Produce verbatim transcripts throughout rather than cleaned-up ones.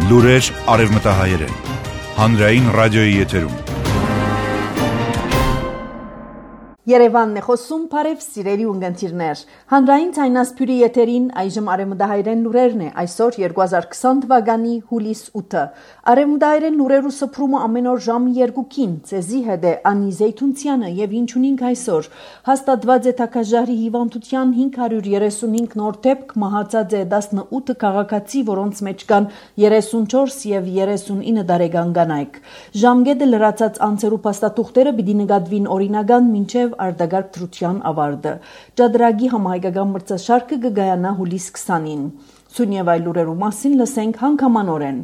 Լուրեր արևմտահայերեն։ Հանրային ռադիոյի եթերում։ Երևանն է խոսում, բարև սիրելի ունգընտիրներ։ Հանրային ցայնասփյուրի եթերին այժմ արևմտահայերեն լուրերն է, այսօր երկու հազար քսան թվականի հուլիս ութը։ Արևմտահայերեն լուրերու սփռումը ամեն օր ժամը երկուքին, ցեզի հետ է Անի Զեյթունցյանը եւ ինչ ունենք այսօր։ Հաստատված է թակաժարի հիվանդության հինգ հարյուր երեսունհինգ նոր դեպք, մահացած է տասնութ քաղաքացի, որոնց մեջ կան երեսունչորս եւ երեսունինը տարեկան կանայք։ Ժամկետը լրացած անձերու փաստաթուղթերը պիտի նկատվին օրինական մինչեւ արտագարկ դրության ավարտը։ Ճադրագի համահայկական մրցաշարքը կգայանա հուլիս քսանին։ Սույն եւ այլ լուրերու մասին լսենք հանգամանորեն։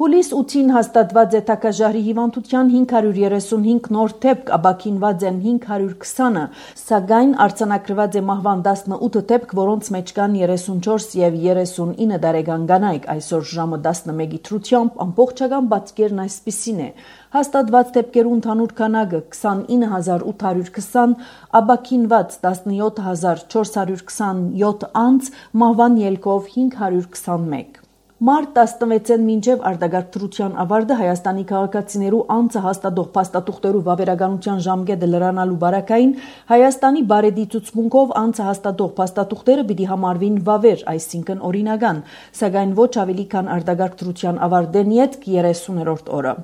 Հուլիս ութին հաստատված է թակաժարի հիվանդության հինգ հարյուր երեսունհինգ նոր դեպք, ապաքինված են հինգ հարյուր քսանը, սակայն արձանագրված է մահվան տասնութ դեպք, որոնց մեջ կան երեսունչորս եւ երեսունինը տարեկան կանայք։ Այսօր ժամը տասնմեկի դրությամբ ամբողջական բացկերն այսպիսին է։ Հաստատված դեպքերու ընդհանուր քանակը քսանինը հազար ութ հարյուր քսան, ապաքինված տասնյոթ հազար չորս հարյուր քսանյոթ անձ, մահվան ելքով հինգ հարյուր քսանմեկ։ Մարտ տասնվեցին մինչև արտագարկ դրության ավարտը Հայաստանի քաղաքացիներու անձը հաստատող փաստաթուղթերու վավերականության ժամկետը լրանալու բարակային Հայաստանի բարեդի ցուցմունքով անձը հաստատող փաստաթուղթերը պիտի համարվին վավեր, այսինքն օրինական, սակայն ոչ ավելի քան արտագարկ դրության ավարտեն յետք երեսուներորդ օրը։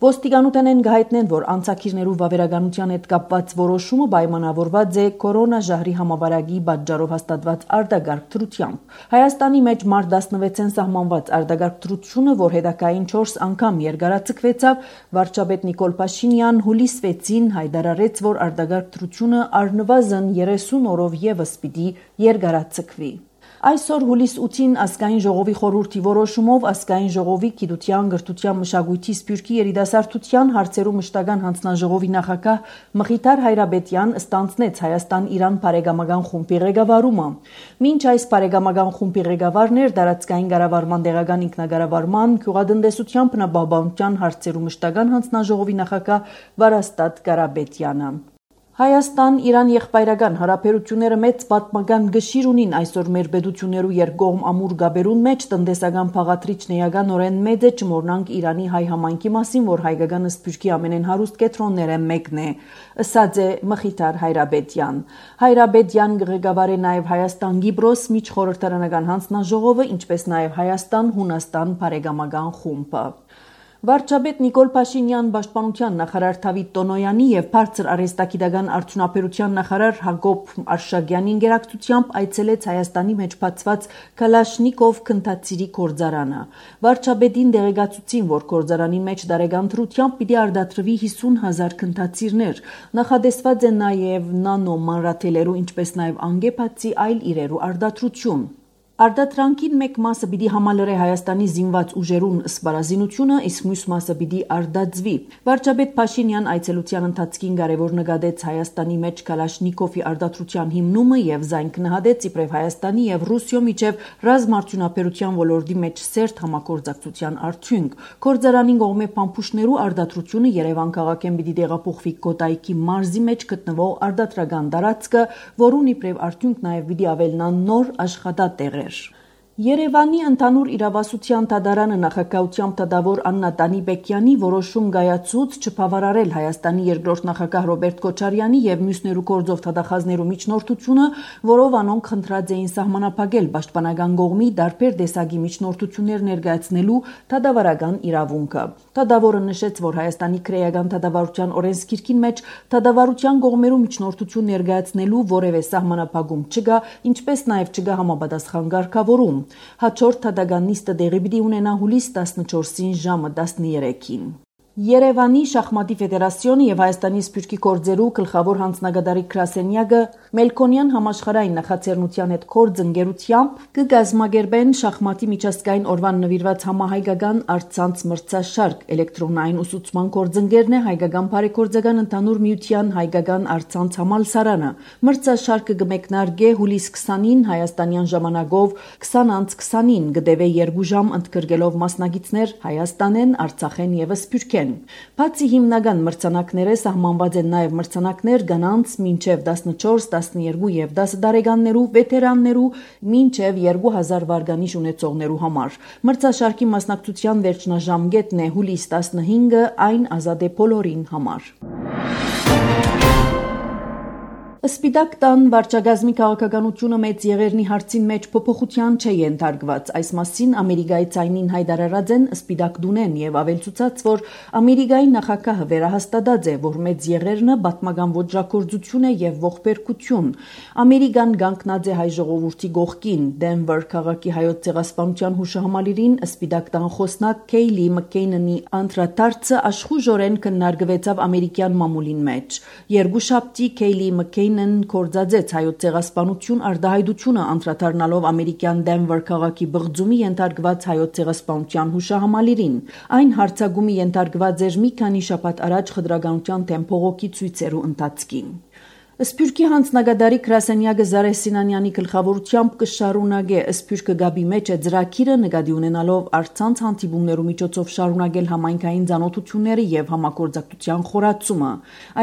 Ոստիկանութեն են գահիտնեն, որ անցակիրներու վավերականության հետ կապված որոշումը պայմանավորված է կորոնաժահրի համավարակի պատճառով հաստատված արտագարկ դրությամբ։ Հայաստանի մեջ մարտ տասնվեցին սահմանված արտագարկ դրությունը, որ հետագային չորս անգամ երկարաձգվեցավ, վարչապետ Նիկոլ Փաշինյան հուլիս վեցին հայտարարեց, որ արտագարկ դրությունը առնվազն երեսուն օրով եւս պիտի երկարաձգվի։ Այսօր հուլիս ութին ազգային ժողովի խորհրդի որոշումով ազգային ժողովի գիտության, գրթության, մշակույթի, սփյուռքի երիտասարդության հարցերու մշտական հանձնաժողովի նախագահ Մխիթար Հայրաբետյան ստանձնեց Հայաստան-Իրան բարեկամական խումբի ղեկավարումը։ Մինչ այս բարեկամական խումբի ղեկավարն էր տարածքային կառավարման, տեղական ինքնակառավարման, գյուղատնտեսության, բնապահպանության հարցերու մշտական հանձնաժողովի նախագահ Վարաստատ Կարապետյանը։ Հայաստան-Իրան եղբայրական հարաբերությունները մեծ պատմական գշիր ունին այսօր մեր պետություններու երկկողմ ամուր գաբերուն մեջ տնտեսական փաղադրիչն էականորեն մեծ է չմոռնանք Իրանի հայ համայնքի մասին, որ հայկական սփյուռքի ամենեն հարուստ կետրոնները մեկն է, ըսած է Մխիթար Հայրաբետյան։ Հայրաբետյան ղեկավար է նաև Հայաստան-Կիպրոս միջխորհրդարանական հանձնաժողովը, ինչպես նաև Հայաստան-Հունաստան բարեկամական խումբը։ Վարչապետ Նիկոլ Փաշինյան, պաշտպանության նախարար Դավիթ Տոնոյանի եւ բարձր արհեստագիտական արդյունաբերության նախարար Հակոբ Արշակյանի ինգերակցությամբ այցելեց Հայաստանի մեջ բացված Կալաշնիկով քննադատի գործարանը։ Վարչապետին դեղեկացուցին, որ գործարանի մեջ տարեկան դրությամբ պիտի արտադրվի հիսուն հազար քննադատներ։ Նախադեсված է նաեւ նանո մանրաթելերու, ինչպես նաեւ անգեփացի այլ իրերու արտադրություն։ Արտադրանքին մեկ մասը պիտի համալրե Հայաստանի զինված ուժերուն սպառազինությունը, իսկ մյուս մասը պիտի արտադրվի։ Վարչապետ Փաշինյան այցելության ընթացքին կարևոր նկատեց Հայաստանի մեջ Կալաշնիկովի արտադրության հիմնումը եւ զայն գնահատեց իբրև Հայաստանի եւ Ռուսիո միջև ռազմաարդյունաբերության ոլորտի մեջ սերտ համագործակցության արդյունք։ Գործարանին կողմէ փամփուշտներու արտադրությունը Երևան քաղաքեն պիտի տեղափոխվի Կոտայքի մարզի մեջ գտնվող արտադրական տարածքը, որուն իբրև արդյունք նաեւ պիտի ավելնան նոր աշխատատեղեր։ Երևանի ընդհանուր իրավասության դատարանը նախագահությամբ դատավոր Աննա Տանիբեկյանի որոշում կայացուց չբավարարել Հայաստանի երկրորդ նախագահ Ռոբերտ Քոչարյանի եւ մյուսներու գործով դատախազներու միջնորդությունը, որով անոնք խնդրած էին սահմանափակել պաշտպանական կողմի տարբեր տեսակի միջնորդություններ ներկայացնելու դատավարական իրավունքը։ Դատավորը նշեց, որ Հայաստանի քրեական դատավարության օրենսգիրքին մեջ դատավարության կողմերու միջնորդություն ներկայացնելու որևէ սահմանափակում չկա, ինչպես նաեւ չկա համապատասխան կարգավորում։ Հաջորդ դատական նիստը տեղի պիտի ունենա հուլիս տասնչորսին ժամը տասներեքին։ Երևանի շախմատի ֆեդերացիոնը եւ Հայաստանի սփյուռքի գործերու գլխավոր հանձնագետարի գրասենյակը Մելքոնյան համաշխարհային նախաձեռնության հետ կորձընկերությամբ կգազմագերբեն շախմատի միջազգային օրվան նվիրված համահայկական առցանց մրցաշարք։ Էլեկտրոնային ուսուցման կորձընկերն է Հայկական բարեգործական ընդհանուր միության հայկական առցանց համալսարանը։ Մրցաշարքը կմեկնարկե հուլիս քսանին հայաստանյան ժամանակով քսան անց քսանին, կդեվե երկու ժամ ընդգրկելով մասնակիցներ Հայաստանեն, Արցախեն եւ Սփյուռքեն։ են։ Բացի հիմնական մրցանակները սահմանված են նաև մրցանակներ կանանց մինչև տասնչորս, տասներկու եւ դաս տարեկաններու, վետերաններու մինչև երկու հազար վարգանիշ ունեցողներու համար։ Մրցաշարքի մասնակցության վերջնաժամկետն է հուլիս տասնհինգը, այն ազատ է բոլորին համար։ Սպիտակ տան վարչագազմի քաղաքականությունը մեծ եղերնի հարցին մեջ փոփոխության չէ ենթարկված։ Այս մասին Ամերիկայի ցայնին հայտարարած են Սպիտակ դունեն եւ ավելցուցած, որ Ամերիկայի նախագահը վերահաստատած է, որ մեծ եղերնը պատմական ոճրագործություն է եւ ողբերգություն։ Ամերիկան գանկնած է հայ ժողովրդի գողքին։ Դենվեր քաղաքի հայոց ցեղասպանության հուշահամալիրին Սպիտակ տան խոսնակ Քեյլի Մքեյնի անդրադարձը աշխուժորեն քննարկվեցավ ամերիկյան մամուլին մեջ։ Երկուշաբթի Քեյլի Մքեյնը կորձածեց հայոց ցեղասպանություն արտահայտությունը անդրադառնալով ամերիկյան Դենվեր քաղաքի բղձումի ենթարկված հայոց ցեղասպանության հուշահամալիրին։ Այն հարցագումի ենթարկված էր մի քանի շաբաթ առաջ խտրականության դեմ փողոքի ցույցերու ընթացքին։ Սփյուռքի հանձնագետարի Կրասենյակը Զարե Սինանյանի գլխավորությամբ կշարունակե Սփյուռքը գաբի մեջ է ծրագիրը նկատի ունենալով առցանց հանդիպումներու միջոցով շարունակել համայնքային ցանոթությունները եւ համագործակցության խորացումը։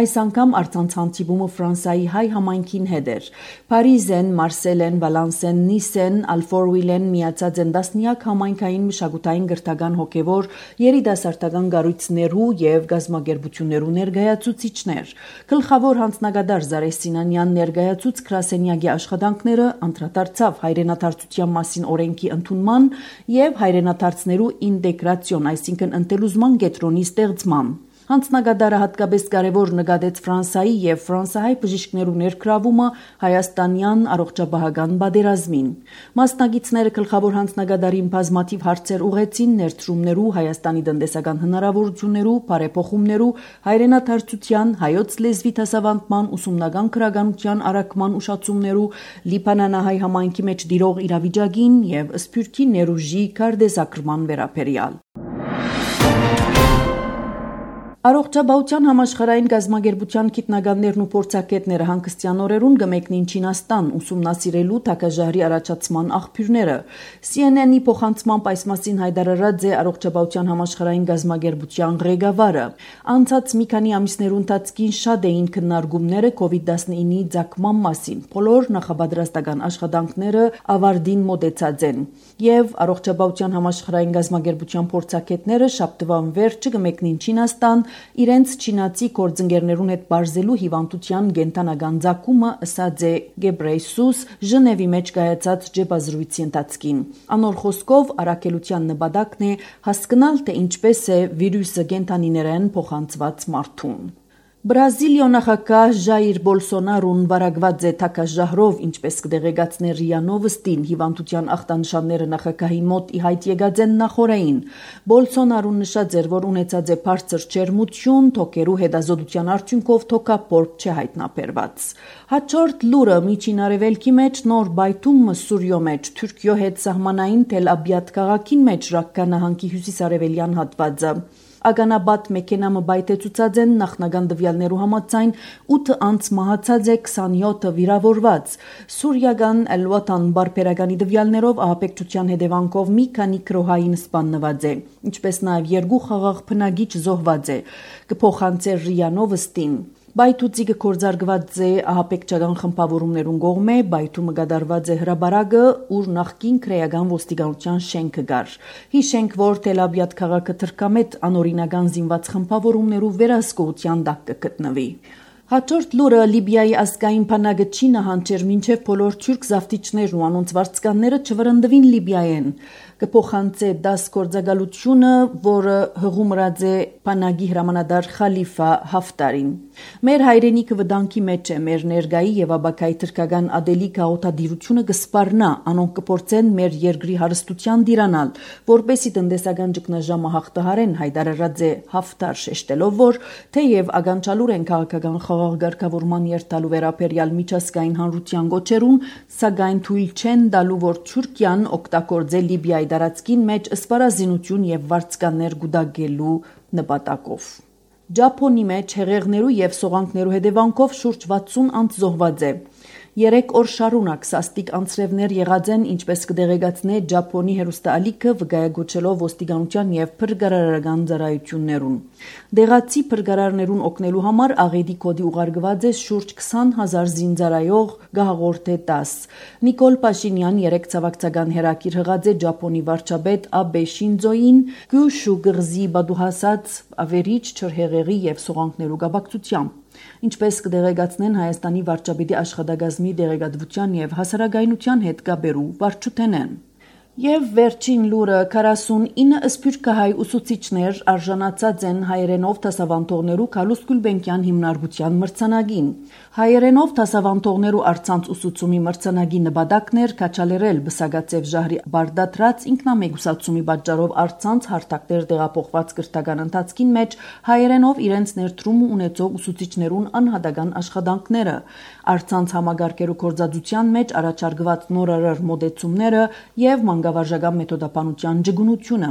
Այս անգամ առցանց հանդիպումը Ֆրանսիայի հայ համայնքին հետ էր։ Փարիզեն, Մարսելեն, Վալանսեն, Նիսեն, Ալֆորվիլեն միացած են տասնյակ համայնքային մշակութային գրթական հոգևոր երիտասարդական կառույցներու եւ գազམ་ագերբություններու ներկայացուցիչներ։ Գլխավոր հանձնագետար Զարե Սինանյան ներկայացուց Կրասենյակի աշխատանքները անդրադարձավ հայրենադարձության մասին օրենքի ընդունման եւ հայրենադարձներու ինտեգրացիոն, այսինքն ընտելուզման կենտրոնի ստեղծման։ Հանձնագետարը հատկապես կարևոր նկատեց Ֆրանսիայի եւ ֆրանսահայ բժիշկներու ներգրավումը հայաստանյան առողջապահական պատերազմին։ Մասնագետները գլխավոր հանձնագետարին բազմաթիվ հարցեր ուղեցին ներդրումներու, Հայաստանի տնտեսական հնարավորություններու, բարեփոխումներու, հայրենադարձության, հայոց լեզվի դասավանդման, ուսումնական քրագանության առաքման ուշացումներու, լիբանանահայ համայնքի մեջ դիրող իրավիճակին եւ Սփյուռքի ներուժի կարդեզագրման վերաբերյալ։ Առողջապահության համաշխարհային գազམ་ագերբության գիտնականներն ու փորձագետները հանգստյան օրերուն կմեկնին Չինաստան ուսումնասիրելու թագաժահրի առաջացման աղբյուրները։ C N N-ի փոխանցմամբ այս մասին հայտարարած է առողջապահության համաշխարհային գազམ་ագերբության ղեկավարը։ Անցած մի քանի ամիսներու ընթացքին շատ էին քննարկումները կովիդ տասնինի ցակման մասին։ Բոլոր նախապատրաստական աշխատանքները ավարտին մոտեցած են եւ առողջապահության համաշխարհային գազམ་ագերբության փորձագետները շաբթվան վերջը կմեկնին Չինաստան իրենց չինացի գործընկերներուն հետ բարձելու հիվանդության կենտանական ցակումը, ըսած է Գեբրեյսուս Ժնևի մեջ կայացած ջեբազրույցի ընթացքին։ Անոր խոսքով առաքելության նպատակն է հասկանալ, թե ինչպես է վիրուսը կենտանիներեն փոխանցված մարդուն։ Բրազիլիո նախագահ Ժայիր Բոլսոնարոն վարակված է թագաժահրով, ինչպես կդեղեկացներ ՌԻԱ Նովոստին, հիվանդության ախտանշանները նախագահի մոտ ի հայտ եկած են նախորային։ Բոլսոնարոն նշած էր, որ ունեցած է բարձր ջերմություն, թոքերու հետազոտության արդյունքով թոքապորտ չէ հայտնաբերված։ Հաջորդ լուրը Միջին Արևելքի մեջ նոր բայթում Սուրիո մեջ Թուրքիո հետ սահմանային Թել Աբիադ քաղաքին մեջ Ռակկա նահանգի հյուսիսարևելյան հատվածը։ Ագանաբադ մեքենամը բայթեցուցած են նախնական տվյալներու համաձայն ութ անց մահացած է քսանյոթը վիրավորված։ Սուրիական Էլ-Վատան բարբերականի տվյալներով ահաբեկչության հետևանքով մի քանի քրոհային սպաննված է, ինչպես նաև երկու խաղաղ բնակիչ զոհված է, կփոխանցեր ՌԻԱ Նովոստին։ Բայթուցիկը կորձարգված է ահաբեկչական խմբավորումներուն կողմէ, բայթումը կատարված է հրաբարակը, ուր նախկին քրեական ոստիկանության շենքը կար։ Հիշենք, որ Թել Աբիադ քաղաքը թրքամետ անօրինական զինված խմբավորումներու վերահսկողության տակ կգտնվի։ Հաջորդ լուրը Լիբիայի ազգային բանակը չի նահանջեր մինչև բոլոր թուրք զավթիչներն ու անոնց վարձկանները չվրընդվին Լիբիայեն։ Կփոխանցե դաս գործակալությունը, որը հղումրած է բանակի հրամանատար Խալիֆա Հաֆտարին։ Մեր հայրենիքը վտանգի մեջ է, մեր ներգայի եւ ապագայի թրքական ադելիկ հաղորդադիրությունը կսպառնա, անոնք կփորձեն մեր երկրի հարստության դիրանալ, որպեսի տնտեսական ճգնաժամը հաղթահարեն, հայտարարած է Հաֆտար, շեշտելով, որ թեև ականջալուր են քաղաքական խաղաղ ղեկավարման երթալու վերաբերյալ միջազգային հանրության գոչերուն, սակայն թույլ չեն տալու, որ Թուրքիան օգտագործե Լիբիայի տարածքին մեջ սպառազինություն եւ վարձկաններ գուտակելու նպատակով։ Ճապոնի մեջ հեղեղներու եւ սողանքներու հետևանքով շուրջ վաթսուն անց զոհված է։ Երեք օր շարունակ սաստիկ անձրևներ եղած են, ինչպես կդեղեկացնե Ջապոնի հեռուստաալիքը վկայագոչելով ոստիկանության եւ փրկարարական ծառայություններուն։ Դեղացի փրկարարներուն օգնելու համար աղետի կոդի ուղարկված է շուրջ քսան հազար զինծառայող գահաղորդ է տաս։ Նիկոլ Փաշինյան երեք ցավակցական հերակիր հղած է Ջապոնի վարչապետ Աբե Շինձոին Գյուշու գղզի բադուհասած ավերիչ չրհեղեղի եւ սողանքներու գաբակցությամբ։ Ինչպես կդեղեկացնեն Հայաստանի վարչապետի աշխատակազմի դեղեկատվության եւ հասարակայնության հետ կապերու վարչութենեն։ Եվ վերջին լուրը քառասունինը սփյուռքահայ ուսուցիչներ արժանացած են հայերենով դասավանդողներու Քալուս Գուլբենկյան հիմնարկության մրցանակին։ Հայերենով դասավանդողներու առցանց ուսուցումի մրցանակի նպատակներ քաչալերել բսակացեվ ժահրի բարդատրած ինքնամեկուսացումի պատճառով առցանց հարթակներ տեղափոխված կրթական ընթացքին մեջ հայերենով իրենց ներդրումը ունեցող ուսուցիչներուն անհատական աշխատանքները, առցանց համագարկերու գործածության մեջ առաջարկված նորարար մոդեցումները եւ մանկավարժական մեթոդապանության ջգունությունը։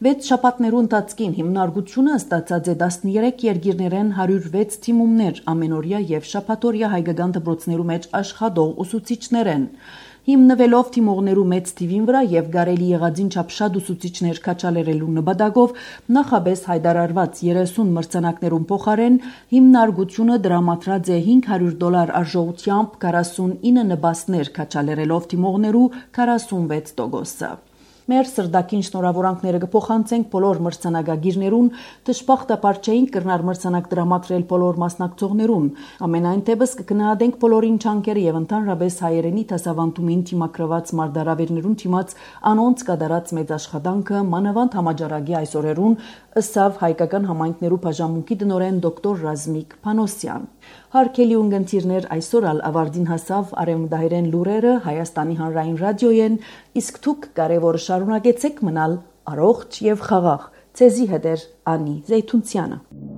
Վեց շաբաթներու ընթացքին հիմնարկությունը ստացած է տասներեք երկիրներեն հարյուր վեց թիմումներ ամենօրյա եւ շաբաթօրյա հայկական դպրոցներու մեջ աշխատող ուսուցիչներեն։ Հիմնվելով թիմողներու մեծ թիվին վրա եւ գարելի եղածին չափ շատ ուսուցիչներ քաչալերելու նպատակով նախաբես հայտարարված երեսուն մրցանակներուն փոխարեն հիմնարկությունը դրամատրած է հինգ հարյուր դոլար արժողությամբ քառասունինը նպաստներ քաչալերելով թիմողներու քառասունվեց տոկոսը։ Մեր սրդակին շնորհավորանքները կփոխանցենք բոլոր մրցանակագիրներուն, դժբախտաբար չէինք կրնար մրցանակ դրամատրել բոլոր մասնակցողներուն։ Ամենայն դեպս կգնահատենք բոլորին չանկերը եւ ընդհանրապես հայերենի դասավանդումին թիմակրված մարտահրավերներուն թիմած անոնց կատարած մեծ աշխատանքը մանավանդ համաճարակի այսօրերուն ըսավ հայկական համայնքներու բաժանմունքի տնօրեն դոկտոր Ռազմիկ Փանոսյան։ Հարկելի ունգընտիրներ, այսօր ալ ավարտին հասավ արևմտահայերեն լուրերը Հայաստանի հանրային ռադիոյեն, իսկ դուք կարևորը շարունակեցեք մնալ առողջ եւ խաղաղ։ Ցեզի հետ է Անի Զեյթունցյանը։